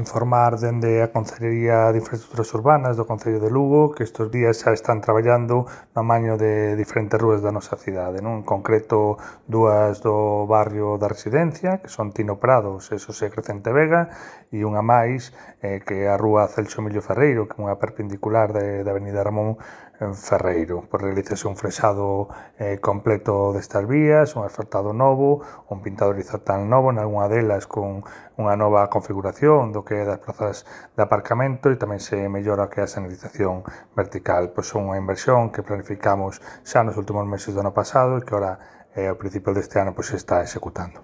informar dende a Concellería de Infraestructuras Urbanas do Concello de Lugo que estes días xa están traballando no amaño de diferentes rúas da nosa cidade, non? En concreto, dúas do barrio da Residencia, que son Tino Prados e Xosé Crecente Vega, e unha máis, que é a rúa Celso Emilio Ferreiro, que é unha perpendicular da avenida Ramón Ferreiro. Por realizarse un frexado completo destas vías, un asfaltado novo, un pintado horizontal novo, nalgúna delas con unha nova configuración do que é das plazas de aparcamento e tamén se mellora o que é a señalización vertical. Pois son unha inversión que planificamos xa nos últimos meses do ano pasado e que ora, ao principio deste ano, pois se está executando.